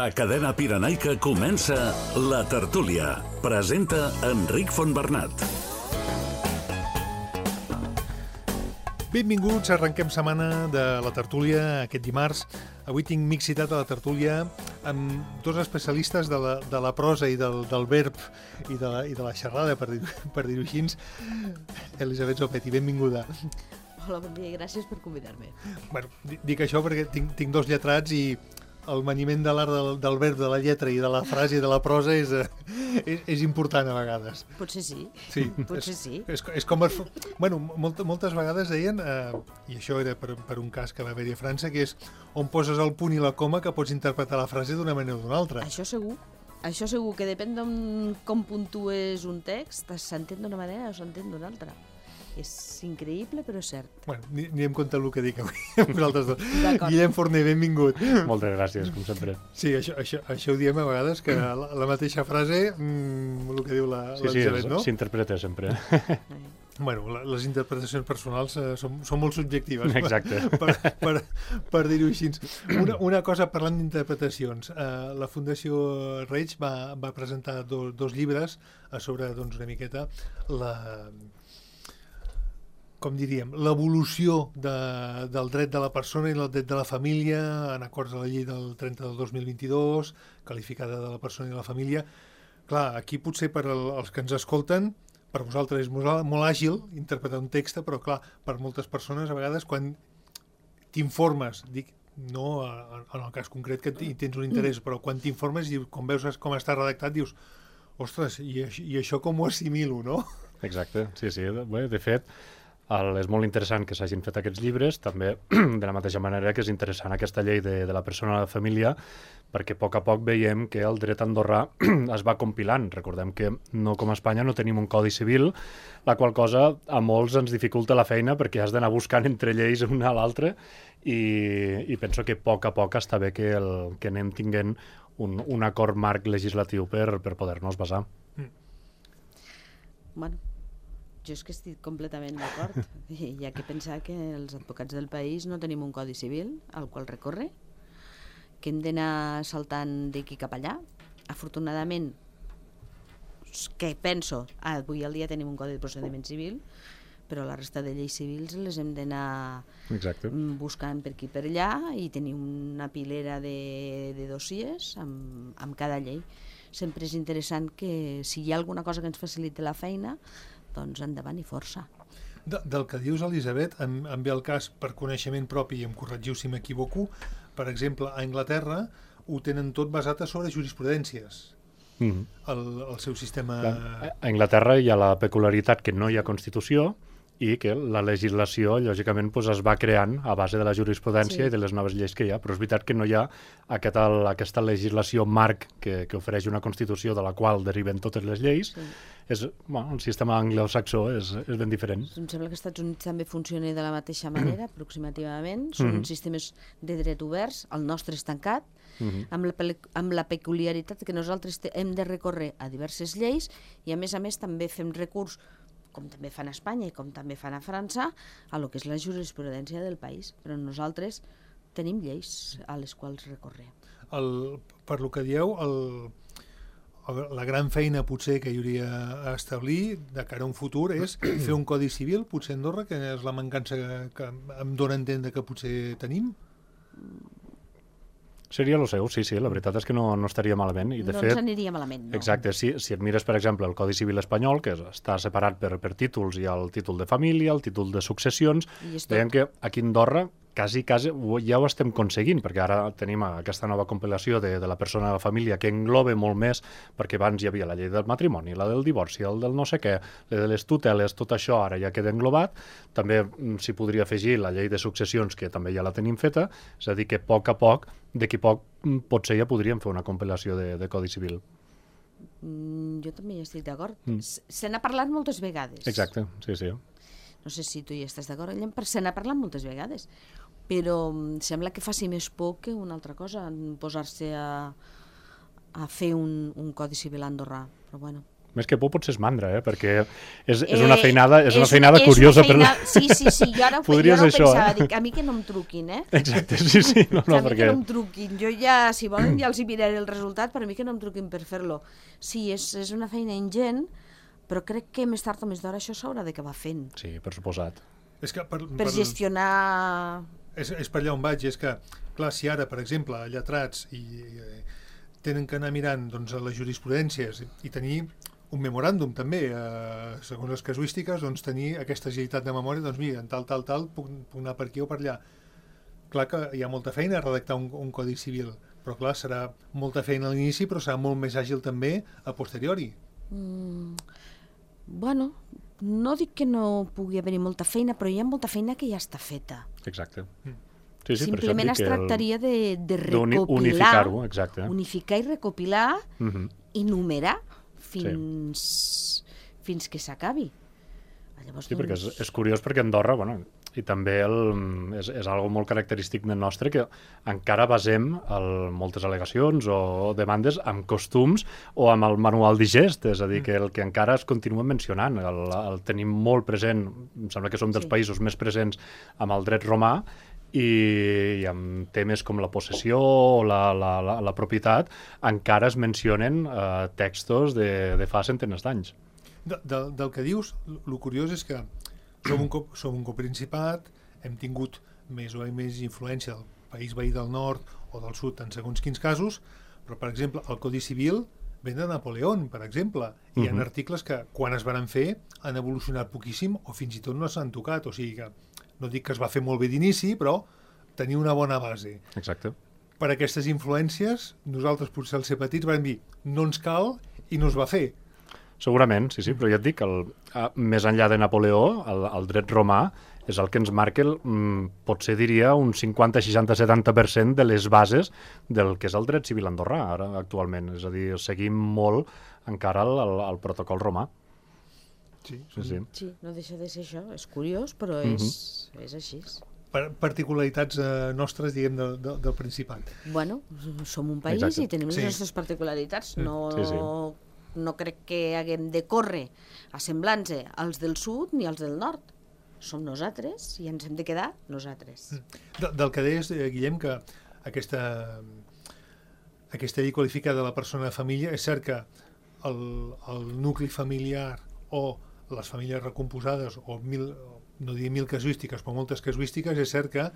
A Cadena Pirenaica comença La Tertúlia. Presenta Enric Fontbernat. Benvinguts, arrenquem setmana de La Tertúlia aquest dimarts. Avui tinc mixitat a La Tertúlia amb dos especialistes de la prosa i del verb i de la xerrada, per dir-ho així. Elisabet Zopetti, benvinguda. Hola, bon dia i gràcies per convidar-me. Bueno, dic això perquè tinc dos lletrats i el maniment de l'art del verb, de la lletra i de la frase i de la prosa és important a vegades. Potser sí. Sí. Potser sí. És com... Bueno, moltes vegades deien, i això era per un cas que va haver-hi a França, que és on poses el punt i la coma que pots interpretar la frase d'una manera o d'una altra. Això segur. Això segur, que depèn de com puntues un text, s'entén d'una manera o s'entén d'una altra. És increïble, però és cert. Bueno, anirem compte el que dic avui amb vosaltres dos. D'acord. Guillem Forner, benvingut. Moltes gràcies, com sempre. Sí, això ho diem a vegades, que la mateixa frase, el que diu l'Elisabet, no? S'interpreta sempre. Bueno, les interpretacions personals són molt subjectives. Exacte. Per dir-ho així. Una cosa, parlant d'interpretacions. La Fundació Reig va presentar dos llibres sobre, doncs, una miqueta com diríem, l'evolució del dret de la persona i el dret de la família en acords de la llei del 30 del 2022, qualificada de la persona i la família. Clar, aquí potser per als que ens escolten, per vosaltres és molt àgil interpretar un text, però clar, per moltes persones a vegades quan t'informes, dic, no en el cas concret que tens un interès, però quan t'informes i quan veus com està redactat dius, ostres, i això com ho assimilo, no? Exacte, sí. Bé, de fet, és molt interessant que s'hagin fet aquests llibres, també de la mateixa manera que és interessant aquesta llei de la persona i la família, perquè a poc veiem que el dret andorrà es va compilant. Recordem que no, com a Espanya no tenim un codi civil, la qual cosa a molts ens dificulta la feina perquè has d'anar buscant entre lleis una a l'altra i penso que a poc està bé que anem tinguent un acord marc legislatiu per poder-nos basar. Bueno, jo és que estic completament d'acord. Hi ha que pensar que els advocats del país no tenim un codi civil al qual recórrer, que hem d'anar saltant d'aquí cap allà. Afortunadament, que penso, avui al dia tenim un codi de procediment civil, però la resta de lleis civils les hem d'anar buscant per aquí per allà i tenir una pilera de dossiers amb cada llei. Sempre és interessant que si hi ha alguna cosa que ens faciliti la feina, doncs endavant i força. Del que dius, Elisabet, em ve el cas per coneixement propi, i em corregiu si m'equivoco, per exemple, a Anglaterra ho tenen tot basat sobre jurisprudències, el seu sistema... A Anglaterra hi ha la peculiaritat que no hi ha Constitució i que la legislació, lògicament, es va creant a base de la jurisprudència i de les noves lleis que hi ha, però és veritat que no hi ha aquesta legislació marc que ofereix una Constitució de la qual deriven totes les lleis. El sistema anglosaxó és ben diferent. Em sembla que als Estats Units també funciona de la mateixa manera, aproximativament. Són sistemes de dret oberts, el nostre és tancat, amb la peculiaritat que nosaltres hem de recórrer a diverses lleis i a més també fem recurs, com també fan a Espanya i com també fan a França, a lo que és la jurisprudència del país. Però nosaltres tenim lleis a les quals recórrer. Per lo que dieu, la gran feina potser que hi hauria a establir de cara a un futur és fer un codi civil, potser a Andorra, que és la mancança que em dóna a entendre que potser tenim. Seria el seu, sí, la veritat és que no estaria malament. I de fet, ens aniria malament, no. Exacte, si et mires, per exemple, el Codi Civil espanyol, que està separat per títols, hi ha el títol de família, el títol de successions, veiem que aquí a Andorra quasi ja ho estem aconseguint, perquè ara tenim aquesta nova compilació de la persona de la família que engloba molt més, perquè abans hi havia la llei del matrimoni, la del divorci, el del no sé què, la de les tuteles, tot això ara ja queda englobat. També s'hi podria afegir la llei de successions, que també ja la tenim feta, és a dir, que a poc, d'aquí poc, potser ja podríem fer una compilació de Codi Civil. Jo també hi estic d'acord. Se n'ha parlat moltes vegades. Exacte, sí. No sé si tu hi estàs d'acord, però se n'ha parlat moltes vegades. Però sembla que faci més por que una altra cosa, posar-se a fer un codi civil andorrà. Però bueno. Més que por potser és mandra, perquè és una feinada curiosa. Sí, jo ara ho pensava, dic, a mi que no em truquin, Exacte, sí. A mi que no em truquin. Jo ja, si volen, ja els hi miraré el resultat, però a mi que no em truquin per fer-lo. Sí, és una feina ingent, però crec que més tard o més d'hora això s'haurà d'acabar fent. Sí, per suposat. És que per gestionar... És per allà on vaig, és que, clar, si ara, per exemple, lletrats tenen que anar mirant doncs, les jurisprudències i tenir un memoràndum també, segons les casuístiques, doncs tenir aquesta agilitat de memòria, doncs mira, en tal, puc anar per aquí o per allà. Clar que hi ha molta feina a redactar un codi civil, però clar, serà molta feina a l'inici, però serà molt més àgil també a posteriori. Bueno, no dic que no pugui haver-hi molta feina, però hi ha molta feina que ja està feta. Exacte. Sí, simplement es tractaria de recopilar, unificar-ho, exacte. Unificar i recopilar i numerar fins que s'acabi. Sí, perquè és curiós perquè Andorra, i també és algo molt característic del nostre, que encara basem moltes al·legacions o demandes amb costums o amb el manual digest, és a dir, que el que encara es continua mencionant, el tenim molt present, em sembla que som dels països més presents amb el dret romà, i amb temes com la possessió o la propietat encara es mencionen textos de fa centenars d'anys. Del que dius, el curiós és que som un coprincipat, hem tingut més o més influència del país veí del nord o del sud en segons quins casos, però per exemple el Codi Civil ve de Napoleón, per exemple, i hi ha articles que quan es van fer han evolucionat poquíssim o fins i tot no s'han tocat, o sigui que no dic que es va fer molt bé d'inici, però tenia una bona base. Exacte. Per aquestes influències, nosaltres potser al ser petits vam dir no ens cal i no es va fer. Segurament, sí, però ja et dic, més enllà de Napoleó, el dret romà és el que ens marca, potser diria, un 50, 60, 70% de les bases del que és el dret civil andorrà ara actualment. És a dir, seguim molt encara el protocol romà. Sí, no deixa de ser això. És curiós, però és així. Particularitats nostres, diguem, del Principat. Bueno, som un país i tenim les nostres particularitats. No crec que haguem de córrer assemblant-se als del sud ni als del nord. Som nosaltres i ens hem de quedar nosaltres. Del que deies, Guillem, que aquesta llei qualifica de la persona de família, és cert que el nucli familiar o les famílies recomposades, o no diria 1000 casuístiques, però moltes casuístiques, és cert que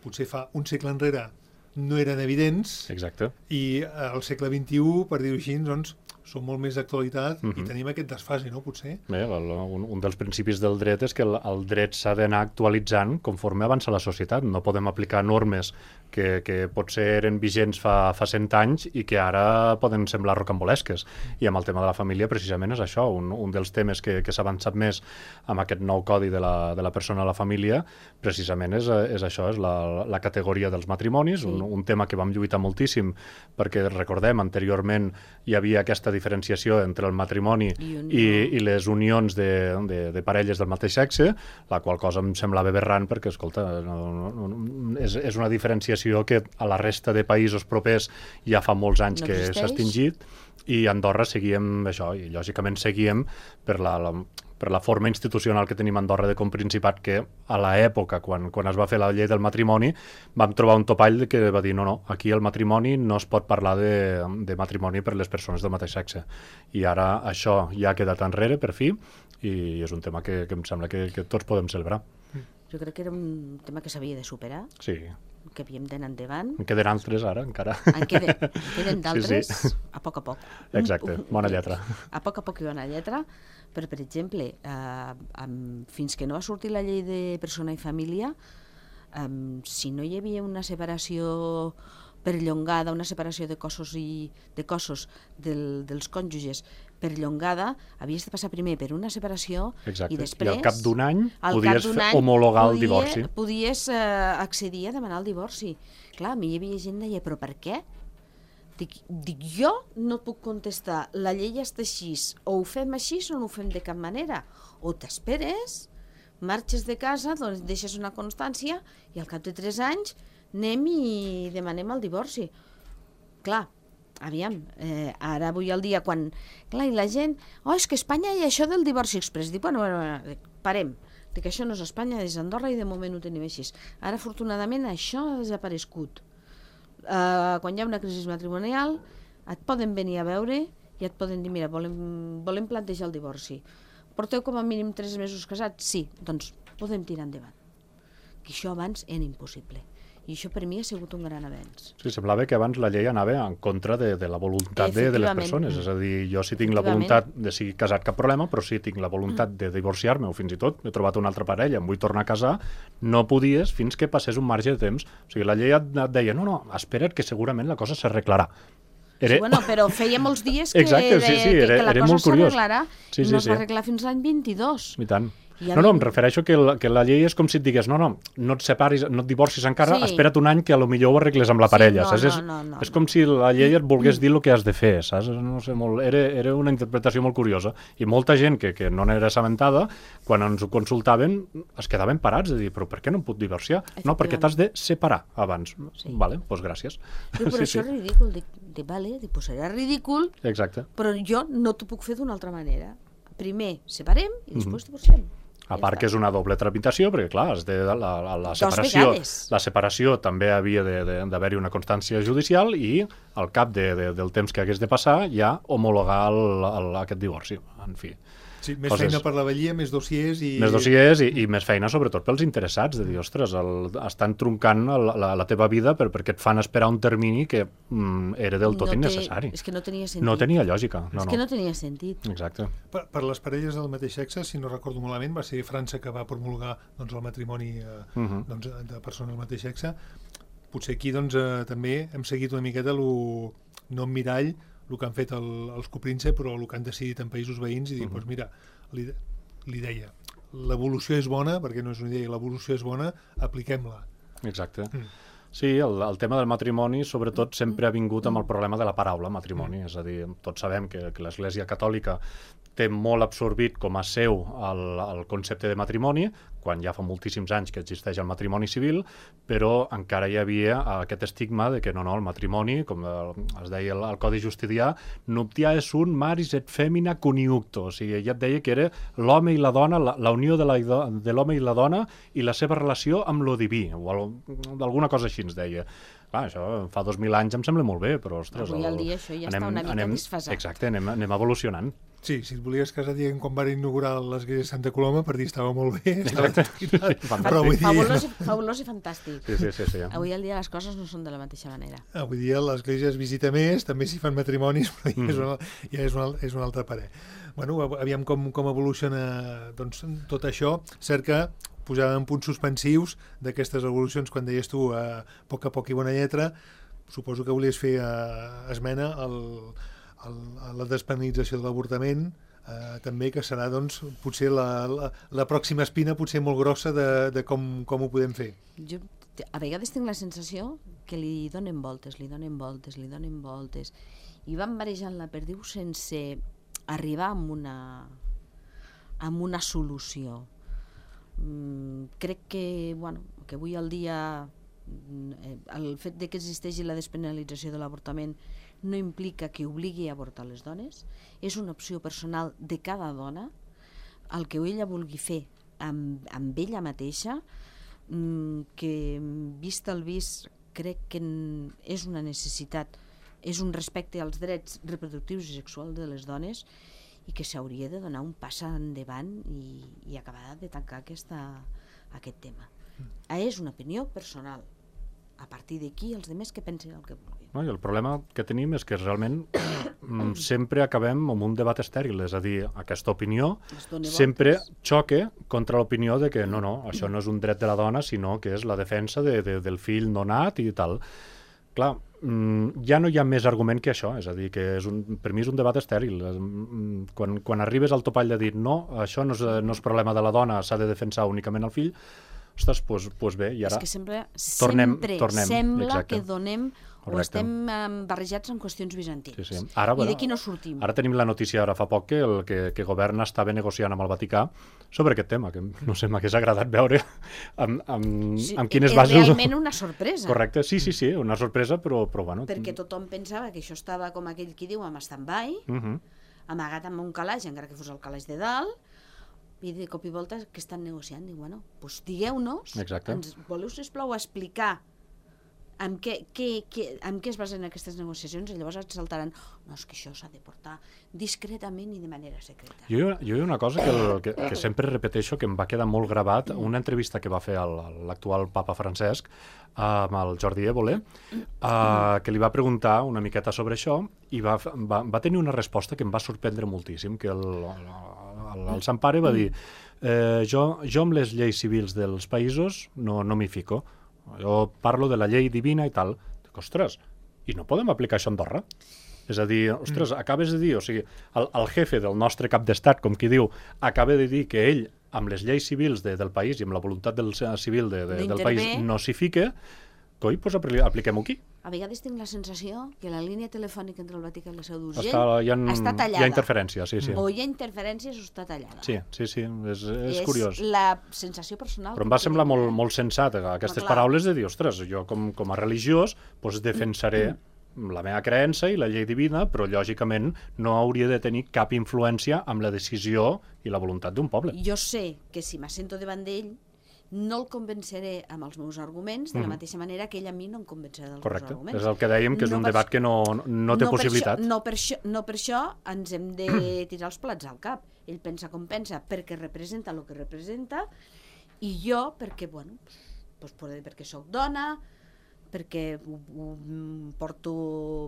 potser fa un segle enrere no eren evidents. Exacte. I al segle XXI, per dir-ho així, doncs, són molt més d'actualitat i tenim aquest desfase, no, potser? Bé, un dels principis del dret és que el dret s'ha d'anar actualitzant conforme avança la societat. No podem aplicar normes que potser eren vigents fa 100 anys i que ara poden semblar rocambolesques. I amb el tema de la família, precisament, és això. Un dels temes que s'ha avançat més amb aquest nou codi de la persona a la família, precisament és això, és la categoria dels matrimonis, un tema que vam lluitar moltíssim, perquè recordem, anteriorment hi havia aquesta diferenciació entre el matrimoni i les unions de parelles del mateix sexe, la qual cosa em semblava aberrant perquè, escolta, és una diferenciació que a la resta de països propers ja fa molts anys que s'ha extingit, i a Andorra seguíem això, i lògicament seguíem per la forma institucional que tenim a Andorra de Coprincipat, que a l'època, quan es va fer la llei del matrimoni, vam trobar un topall que va dir no, aquí el matrimoni no es pot parlar de matrimoni per les persones del mateix sexe. I ara això ja ha quedat enrere, per fi, i és un tema que em sembla que tots podem celebrar. Jo crec que era un tema que s'havia de superar. Sí. Que havíem d'anar endavant. En queden altres ara, encara. En queden d'altres, a poc a poc. Exacte, bona lletra. A poc i bona lletra, però, per exemple, fins que no va sortir la llei de persona i família, si no hi havia una separació perllongada, una separació de cossos dels cònjuges perllongada, havies de passar primer per una separació. Exacte. I després, i al cap d'un any podies homologar el divorci. Podies accedir a demanar el divorci. Clar, a mi hi havia gent que deia, però per què? Dic, jo no puc contestar, la llei està així, o ho fem així o no ho fem de cap manera. O t'esperes, marxes de casa, doncs deixes una constància i al cap de 3 anys anem i demanem el divorci. Clar, aviam, ara avui al dia, quan... Clar, i la gent... és que a Espanya hi ha això del divorci express. Dic, bueno, parem. Dic, això no és Espanya, és Andorra i de moment ho tenim així. Ara, afortunadament, això ha desaparegut. Quan hi ha una crisi matrimonial, et poden venir a veure i et poden dir, mira, volem plantejar el divorci. Porteu com a mínim 3 mesos casats? Sí, doncs podem tirar endavant. Que això abans era impossible. I això per mi ha sigut un gran avenç. Sí, semblava que abans la llei anava en contra de la voluntat de les persones. És a dir, jo si tinc la voluntat de ser casat, cap problema, però si tinc la voluntat de divorciar-me o fins i tot he trobat una altra parella, em vull tornar a casar, no podies fins que passés un marge de temps. O sigui, la llei et deia, no, espera't que segurament la cosa s'arreglarà. Sí, bueno, però feia molts dies que, exacte, que la cosa s'arreglarà i no es va arreglar fins l'any 22. I tant. No, em refereixo que la llei és com si et digués no et separis, no et divorcis encara, espera't un any que potser ho arregles amb la parella. És com si la llei et volgués dir el que has de fer, saps? No sé, era una interpretació molt curiosa. I molta gent que no n'era assabentada, quan ens ho consultaven, es quedaven parats de dir, però per què no em puc divorciar? No, perquè t'has de separar abans. Vale, doncs gràcies. Però això és ridícul. Dic, vale, doncs serà ridícul, però jo no t'ho puc fer d'una altra manera. Primer separem i després divorciem. A part que és una doble tramitació, perquè clar, la separació també havia d'haver-hi una constància judicial i al cap del temps que hagués de passar ja homologar aquest divorci. En fi. Sí, més feina per la vetllia, més dossiers i... Més dossiers i més feina sobretot pels interessats, de dir, ostres, estan troncant la teva vida perquè et fan esperar un termini que era del tot innecessari. És que no tenia sentit. No tenia lògica. És que no tenia sentit. Exacte. Per les parelles del mateix sexe, si no recordo malament, va ser França que va promulgar el matrimoni de persones del mateix sexe. Potser aquí també hem seguit una miqueta no en mirall el que han fet els copríncep, però el que han decidit en països veïns i dir, doncs mira, li deia, l'evolució és bona, perquè no és una idea, l'evolució és bona, apliquem-la. Exacte. Sí, el tema del matrimoni, sobretot, sempre ha vingut amb el problema de la paraula matrimoni. És a dir, tots sabem que l'Església Catòlica té molt absorbit com a seu el concepte de matrimoni, quan ja fa moltíssims anys que existeix el matrimoni civil, però encara hi havia aquest estigma de que no, el matrimoni, com es deia al Codi Justinià, nuptià és un maris et femina coniucto, o sigui, ja et deia que era l'home i la dona, la unió de l'home i la dona i la seva relació amb lo diví, o alguna cosa així ens deia. Clar, això fa 2.000 anys em sembla molt bé, però ostres... Avui al dia això ja està una mica disfasat. Exacte, anem evolucionant. Sí, si et volies casar dient quan van inaugurar l'església de Santa Coloma per dir estava molt bé, estava fabulós i fantàstic. Sí. Avui al dia les coses no són de la mateixa manera. Avui dia l'església es visita més, també s'hi fan matrimonis, però ja és un altre parer. Bueno, aviam com evoluciona tot això. Cert que posar en punts suspensius d'aquestes evolucions, quan deies tu a poc i bona lletra, suposo que volies fer esmena a la despenalització de l'avortament, també, que serà potser la pròxima espina potser molt grossa de com ho podem fer. Jo a vegades tinc la sensació que li donen voltes i van barejant la perdiu sense arribar amb una solució. Crec que avui al dia el fet que existeixi la despenalització de l'avortament no implica que obligui a avortar les dones, és una opció personal de cada dona, el que ella vulgui fer amb ella mateixa, que vist el vist crec que és una necessitat, és un respecte als drets reproductius i sexuals de les dones i que s'hauria de donar un pas endavant i acabar de tancar aquest tema. És una opinió personal. A partir d'aquí, els altres que pensin el que vulguin. I el problema que tenim és que realment sempre acabem amb un debat estèril, és a dir, aquesta opinió sempre xoca contra l'opinió de que no, això no és un dret de la dona, sinó que és la defensa del fill no nat i tal. Clar, ja no hi ha més argument que això, és a dir, que per mi és un debat estèril. Quan arribes al topall de dir no, això no és problema de la dona, s'ha de defensar únicament el fill, ostres, doncs bé, i ara és que sempre tornem, sembla exacte, que donem o estem barrejats en qüestions bizantines. Sí, sí. Ara, I d'aquí no sortim. Ara tenim la notícia, ara fa poc, que el que governa estava negociant amb el Vaticà sobre aquest tema, que no sé, m'hagués agradat veure amb quines bases... És realment una sorpresa. Correcte, sí, una sorpresa, però bueno... Perquè tothom pensava que això estava, com aquell qui diu, amb stand-by, amagat amb un calaix, encara que fos el calaix de dalt, i de cop i volta que estan negociant. Dic, bueno, doncs digueu-nos, ens voleu, sisplau, explicar en què es basen aquestes negociacions, i llavors et saltaran, no, és que això s'ha de portar discretament i de manera secreta. Jo hi ha una cosa que sempre repeteixo, que em va quedar molt gravat, una entrevista que va fer l'actual papa Francesc amb el Jordi Évole, que li va preguntar una miqueta sobre això, i va tenir una resposta que em va sorprendre moltíssim, que el Sant Pare va dir jo amb les lleis civils dels països no m'hi fico. Jo parlo de la llei divina i tal. Dic, ostres, i no podem aplicar això a Andorra? És a dir, ostres, acabes de dir, o sigui, el jefe del nostre cap d'estat, com qui diu, acaba de dir que ell, amb les lleis civils del país i amb la voluntat civil del país, no s'hi fica, coi, doncs apliquem-ho aquí. A vegades tinc la sensació que la línia telefònica entre el Vaticà i la Seu d'Urgell està tallada. Hi ha interferència, sí. O hi ha interferències o està tallada. Sí, és curiós. És la sensació personal. Però em va semblar molt sensat aquestes paraules de dir, ostres, jo com a religiós defensaré la meva creença i la llei divina, però lògicament no hauria de tenir cap influència amb la decisió i la voluntat d'un poble. Jo sé que si m'assento davant d'ell no el convenceré amb els meus arguments de la mateixa manera que ell a mi no em convencerà dels meus arguments. Correcte, és el que dèiem, que és un debat que no té possibilitat. No per això ens hem de tirar els plats al cap. Ell pensa com pensa perquè representa el que representa, i jo perquè, bueno, perquè sóc dona, perquè ho porto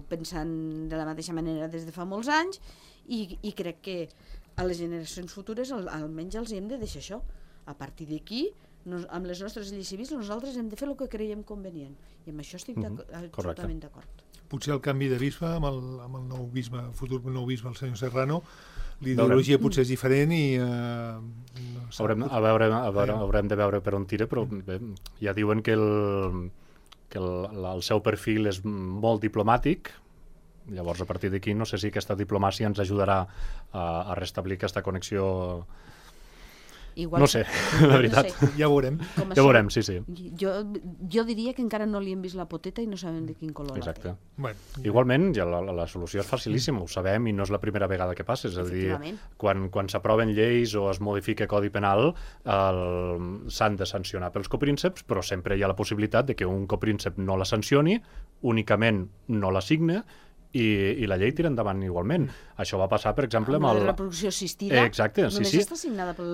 pensant de la mateixa manera des de fa molts anys, i crec que a les generacions futures almenys els hem de deixar això. A partir d'aquí, amb les nostres lleis civils, nosaltres hem de fer el que creiem convenient, i amb això estic absolutament d'acord. Potser el canvi de bisbe amb el nou bisbe, futur nou bisbe, el senyor Serrano, l'ideologia potser és diferent i haurem de veure per on tira, però bé, ja diuen que el seu perfil és molt diplomàtic. Llavors, a partir d'aquí, no sé si aquesta diplomàcia ens ajudarà a restablir aquesta connexió. No sé, la veritat. Ja ho veurem. Ja ho veurem, sí. Jo diria que encara no li hem vist la poteta i no sabem de quin color la té. Igualment, ja la solució és facilíssima, ho sabem, i no és la primera vegada que passa. És a dir, quan s'aproven lleis o es modifica codi penal, s'han de sancionar pels coprínceps, però sempre hi ha la possibilitat de que un copríncep no la sancioni, únicament no la signe, i la llei tira endavant igualment. Això va passar, per exemple, amb la reproducció assistida. Exacte, només està signada pel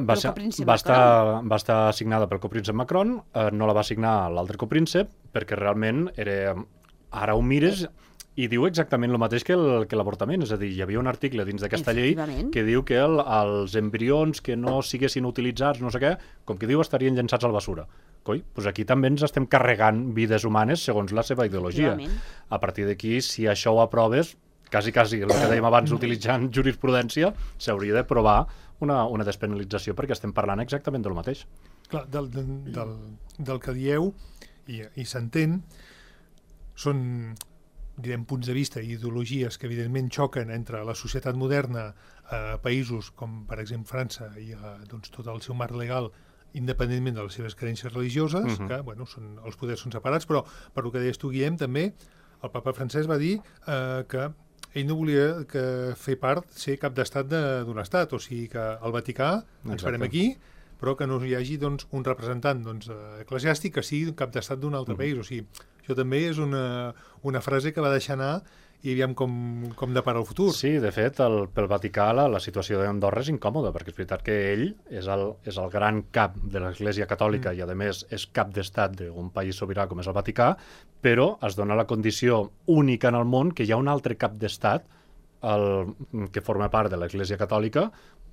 copríncep Macron. Va estar signada pel copríncep Macron, no la va signar l'altre copríncep, perquè realment ara ho mires i diu exactament el mateix que l'avortament. És a dir, hi havia un article dins d'aquesta llei que diu que els embrions que no siguessin utilitzats, no sé què, com que diu, estarien llançats a la basura. Coi, doncs aquí també ens estem carregant vides humanes segons la seva ideologia. A partir d'aquí, si això ho aproves, quasi el que dèiem abans utilitzant jurisprudència, s'hauria de provar una despenalització, perquè estem parlant exactament del mateix. Clar, del que dieu, i s'entén, són, direm, punts de vista i ideologies que evidentment xoquen entre la societat moderna a països com, per exemple, França i tot el seu marc legal, independentment de les seves creences religioses, que els poders són separats, però per el que deies tu, Guillem, també el papa Francesc va dir que ell no volia fer ser cap d'estat d'un estat, o sigui que el Vaticà ens farem aquí, però que no hi hagi un representant eclesiàstic que sigui cap d'estat d'un altre país. O sigui, això també és una frase que va deixar anar i aviam com depara el futur. Sí, de fet, pel Vaticà la situació d'Andorra és incòmoda, perquè és veritat que ell és el gran cap de l'Església Catòlica i, a més, és cap d'estat d'un país sobirà com és el Vaticà, però es dona la condició única en el món que hi ha un altre cap d'estat que forma part de l'Església Catòlica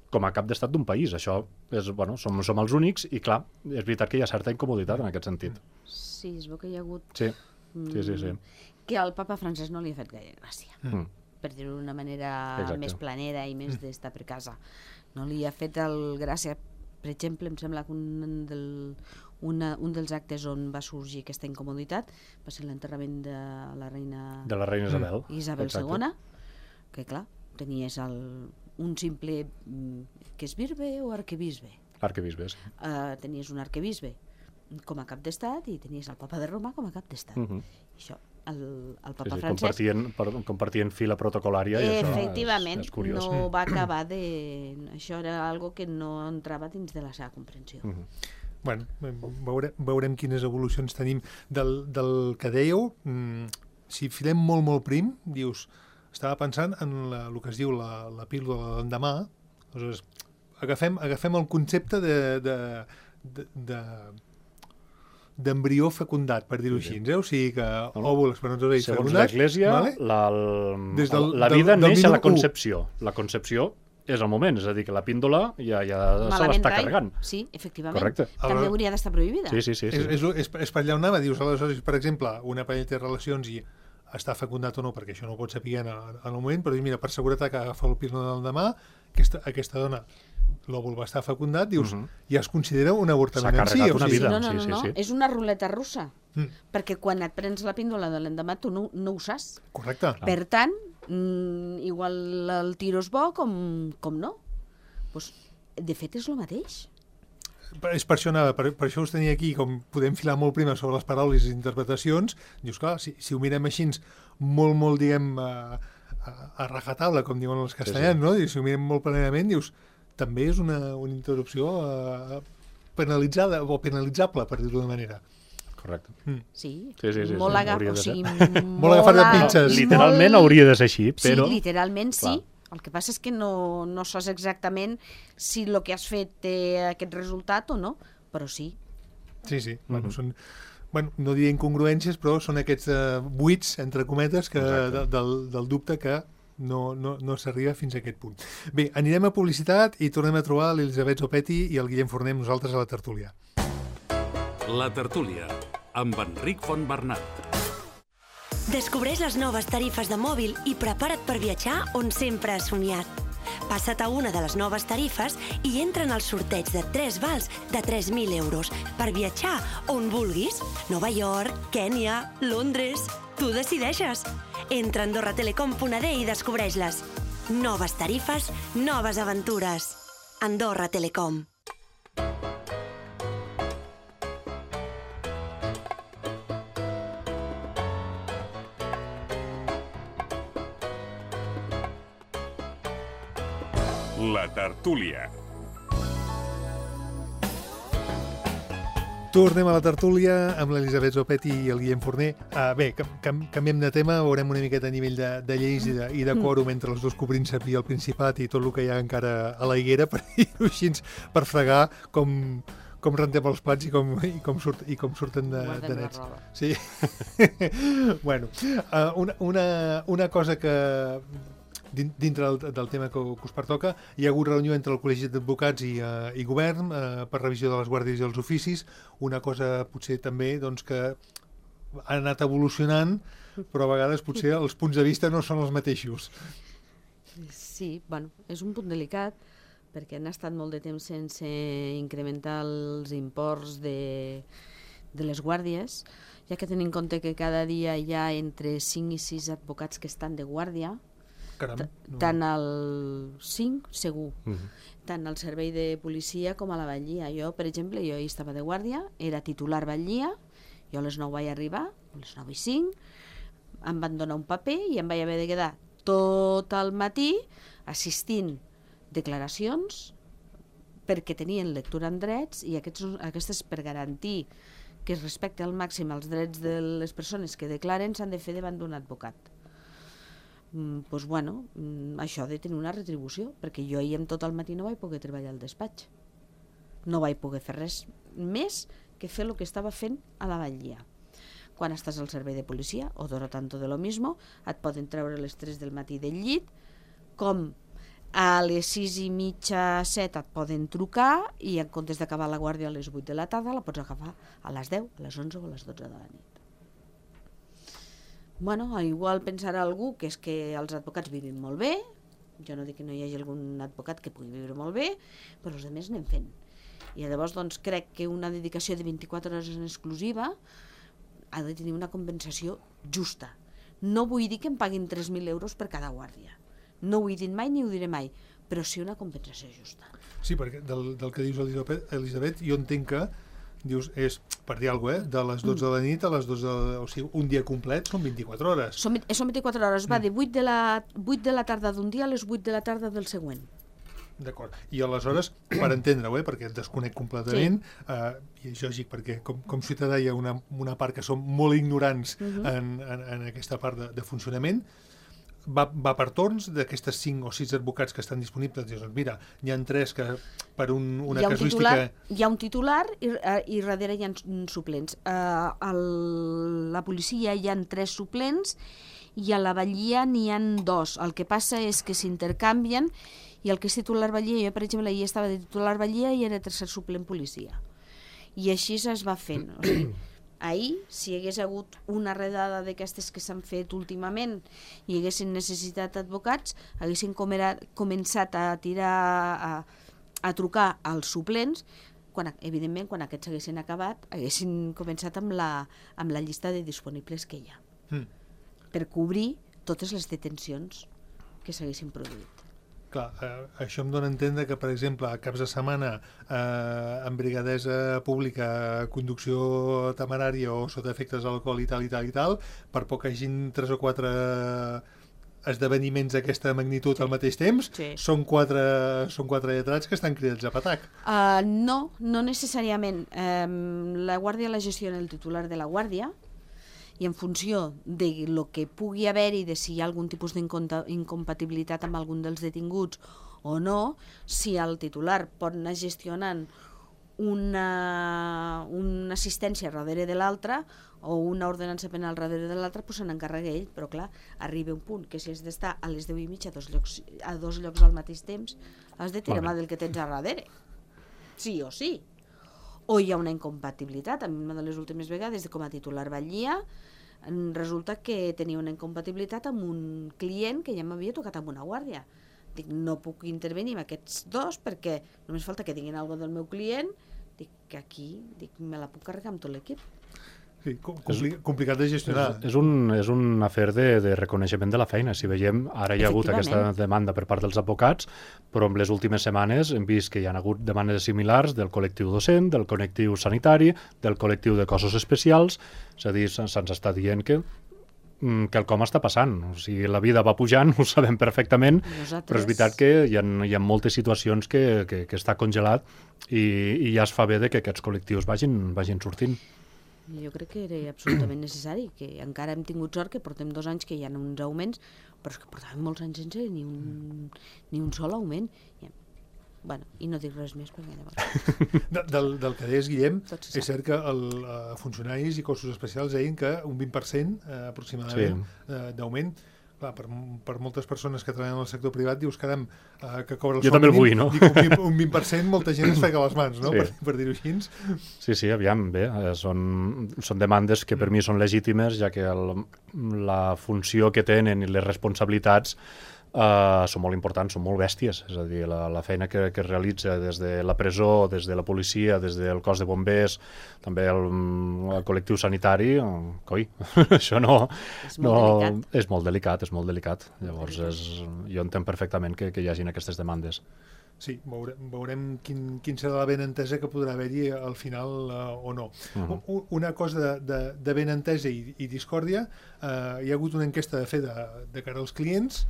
com a cap d'estat d'un país. Això és, som els únics i, clar, és veritat que hi ha certa incomoditat en aquest sentit. Sí, es veu que hi ha hagut... Sí. Que al papa Francesc no li ha fet gaire gràcia, per dir-ho d'una manera més planera i més d'estar per casa. No li ha fet gràcia, per exemple, em sembla que un dels actes on va sorgir aquesta incomoditat va ser l'enterrament de la reina Isabel. Isabel II, que clar, tenies un simple que és bisbe o arquebisbe. Arquebisbe, sí. Tenies un arquebisbe com a cap d'estat i tenies el papa de Roma com a cap d'estat. Això, el papa francès... Compartien fila protocolària i efectivament, això és curiós. no va acabar de... Això era algo que no entrava dins de la seva comprensió. Bueno, veurem quines evolucions tenim del que dèieu. Si filem molt prim, dius, estava pensant en el que es diu la píldora de l'endemà. Aleshores, agafem el concepte d'embrió fecundat, per dir-ho així. O sigui que òvul, espermatozoide fecundat... Segons l'Església, la vida neix a la concepció. La concepció és el moment, és a dir, que la píndola ja se l'està carregant. Sí, efectivament. Correcte. També hauria d'estar prohibida. Sí. És per allà on anava. Dius, aleshores, per exemple, una parella té relacions i està fecundat o no, perquè això no ho pot saber en el moment, però mira, per seguretat que agafa el píldora del demà, aquesta dona, l'òvul va estar fecundat, dius, ja es considera un avortament en si. S'ha carregat una vida. No. És una ruleta russa. Perquè quan et prens la píndola de l'endemà tu no ho saps. Correcte. Per tant, igual el tiro és bo com no. Pues, de fet és el mateix. És per això anava, per això us tenia aquí, com podem filar molt primer sobre les paraules i interpretacions, dius, clar, si ho mirem així molt diguem, a rajatabla, com diuen els castellans, no? I si ho mirem molt plenament, dius, també és una interrupció penalitzada o penalitzable, per dir-ho d'una manera. Correcte. Sí. Molt agafat de pinces. Literalment hauria de ser així, però... Sí, literalment sí. El que passa és que no saps exactament si el que has fet té aquest resultat o no, però sí. Sí. No diré incongruències, però són aquests buits, entre cometes, del dubte que no s'arriba fins a aquest punt. Bé, anirem a publicitat i tornem a trobar l'Elisabet Zopetti i el Guillem Forner amb nosaltres a la tertúlia. La tertúlia, amb Enric Fontbernat. Descobreix les noves tarifes de mòbil i prepara't per viatjar on sempre has somiat. Passa't a una de les noves tarifes i entra en el sorteig de 3 vals de 3.000 euros per viatjar on vulguis. Nova York, Kènia, Londres... Tu decideixes. Entra a AndorraTelecom.d i descobreix-les. Noves tarifes, noves aventures. Andorra Telecom. La tertúlia. Tornem a la tertúlia amb l'Elisabet Zopetti i el Guillem Forner. Bé, canviem de tema, veurem una miqueta a nivell de lleis i de quòrum entre els dos copríncep i el Principat i tot el que hi ha encara a la higuera, per dir-ho així, per fregar com rentem els plats i com surten de nets. Sí. Bueno, una cosa que... dintre del tema que us pertoca, hi ha hagut reunió entre el Col·legi d'Advocats i Govern per revisió de les guàrdies i els oficis, una cosa potser també que ha anat evolucionant, però a vegades potser els punts de vista no són els mateixos. Sí, bueno, és un punt delicat, perquè han estat molt de temps sense incrementar els imports de les guàrdies, ja que tenim en compte que cada dia hi ha entre 5 i 6 advocats que estan de guàrdia. Caram, tant al 5, segur, tant al servei de policia com a la batllia. Jo, per exemple, jo hi estava de guàrdia, era titular batllia, jo a les 9 vaig arribar, a les 9 i 5, em van donar un paper i em vaig haver de quedar tot el matí assistint declaracions perquè tenien lectura en drets i aquestes per garantir que es respecte al màxim els drets de les persones que declaren s'han de fer davant d'un advocat. Doncs bueno, això ha de tenir una retribució, perquè jo ahir tot el matí no vaig poder treballar al despatx. No vaig poder fer res més que fer el que estava fent a la batllia. Quan estàs al servei de policia, odora tanto de lo mismo, et poden treure a les 3 del matí del llit, com a les 6:30, 7 et poden trucar i en comptes d'acabar la guàrdia a les 8 de la tarda la pots agafar a les 10, a les 11 o a les 12 de la nit. Bueno, igual pensarà algú que és que els advocats vivim molt bé, jo no dic que no hi hagi algun advocat que pugui viure molt bé, però els altres anem fent. I llavors doncs, crec que una dedicació de 24 hores en exclusiva ha de tenir una compensació justa. No vull dir que em paguin 3.000 euros per cada guàrdia. No ho he dit mai ni ho diré mai, però sí una compensació justa. Sí, perquè del que dius, Elisabet, jo entenc que dius, és, per dir alguna cosa, de les 12 de la nit a les 12 o sigui, un dia complet són 24 hores. Són 24 hores, va de 8 de la tarda d'un dia a les 8 de la tarda del següent. D'acord. I aleshores, per entendre-ho, perquè et desconec completament, i és lògic perquè com ciutadà hi ha una part que som molt ignorants en aquesta part de funcionament, va per torns d'aquestes 5 o 6 advocats que estan disponibles. Dius, mira, hi ha 3 que per una casuística... Hi ha un titular i darrere hi ha suplents. A la policia hi ha 3 suplents i a la Batllia n'hi ha 2. El que passa és que s'intercanvien i el que és titular Batllia, jo per exemple ahir estava de titular Batllia i era tercer suplent policia. I així es va fent. O sigui, ahir, si hi hagués hagut una redada d'aquestes que s'han fet últimament i haguessin necessitat advocats, haguessin començat a tirar, a trucar als suplents, evidentment, quan aquests haguessin acabat, haguessin començat amb la llista de disponibles que hi ha, per cobrir totes les detencions que s'haguessin produït. Clar, això em dona a entendre que, per exemple, a caps de setmana, en brigadesa pública, conducció temerària o sota efectes d'alcohol i tal, per poc que hagin 3 o 4 esdeveniments d'aquesta magnitud al mateix temps, són 4 lletrats que estan cridats a patac. No necessàriament. La guàrdia la gestiona el titular de la guàrdia, i en funció de lo que pugui haver-hi, de si hi ha algun tipus d'incompatibilitat amb algun dels detinguts o no, si el titular pot anar gestionant una assistència darrere de l'altra o una ordenança penal darrere de l'altra, doncs se n'encarrega ell, però clar, arriba un punt que si has d'estar a les 10:30 a dos llocs al mateix temps, has de tirar mà del que tens a darrere. Sí o sí. O hi ha una incompatibilitat. A mi una de les últimes vegades, com a titular Batllia, resulta que tenia una incompatibilitat amb un client que ja m'havia tocat amb una guàrdia. Dic, no puc intervenir amb aquests 2 perquè només falta que tinguin alguna del meu client. Dic, que aquí me la puc carregar amb tot l'equip. Sí, complicat de gestionar. És un afer de reconeixement de la feina. Si veiem, ara hi ha hagut aquesta demanda per part dels advocats, però en les últimes setmanes hem vist que hi ha hagut demandes similars del col·lectiu docent, del col·lectiu sanitari, del col·lectiu de cossos especials. És a dir, se'ns està dient que quelcom està passant. O sigui, la vida va pujant, ho sabem perfectament, però és veritat que hi ha moltes situacions que està congelat i ja es fa bé que aquests col·lectius vagin sortint. Jo crec que era absolutament necessari, que encara hem tingut sort que portem 2 anys que hi ha uns augments, però és que portàvem molts anys sense ni un sol augment. Bueno, i no dic res més perquè llavors... Del que deies, Guillem, és cert que funcionaris i cossos especials deien que un 20% aproximadament d'augment. Clar, per moltes persones que treballen en el sector privat, dius, caram, que cobra el sou mínim. Jo també el vull, no? Dic, un 20%, molta gent es frega les mans, no? Per dir-ho així. Sí, aviam, bé, són demandes que per mi són legítimes, ja que la funció que tenen i les responsabilitats són molt importants, són molt bèsties. És a dir, la feina que es realitza des de la presó, des de la policia, des del cos de bombers, també el col·lectiu sanitari, coi, això no... És molt delicat. Llavors, jo entenc perfectament que hi hagin aquestes demandes. Sí, veurem quin serà la benentesa que podrà haver-hi al final o no. Una cosa de benentesa i discòrdia, hi ha hagut una enquesta de fer de cara als clients.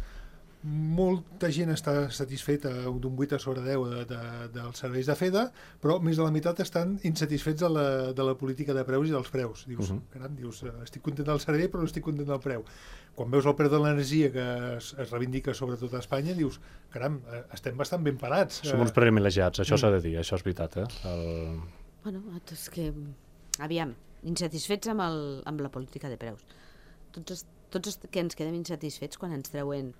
Molta gent està satisfeta d'un 8 sobre 10 dels serveis de FEDA, però més de la meitat estan insatisfets de la política de preus i dels preus. Dius, caram, estic content del servei però no estic content del preu. Quan veus el preu de l'energia que es reivindica sobretot a Espanya, dius, caram, estem bastant ben parats. Som uns privilegiats, això s'ha de dir, això és veritat. Bueno, és que, aviam, insatisfets amb la política de preus. Tots els que ens quedem insatisfets quan ens treuen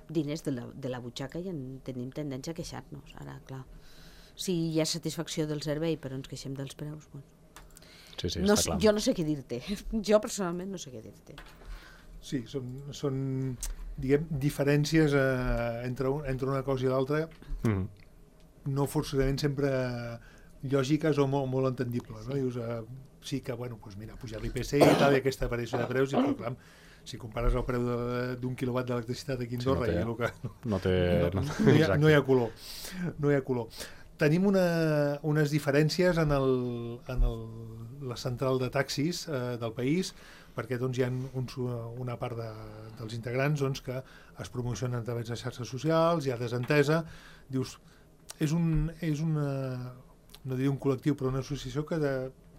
diners de la butxaca i tenim tendència a queixar-nos. Ara, clar, si hi ha satisfacció del servei però ens queixem dels preus, bueno. Sí, està clar. Jo no sé què dir-te. Jo personalment no sé què dir-te. Sí, són diguem, diferències entre una cosa i l'altra, no forçosament sempre lògiques o molt entendibles, no? Dius, sí que, bueno, doncs mira, pujar l'IPC i tal, i aquesta variació de preus, i però clar, si compares el preu d'un quilowatt d'electricitat aquí a Andorra i el que... No hi ha color. No hi ha color. Tenim unes diferències en la central de taxis del país, perquè doncs, hi ha una part dels integrants doncs, que es promocionen a través de xarxes socials, hi ha desentesa, dius, és una, no diria un col·lectiu, però una associació que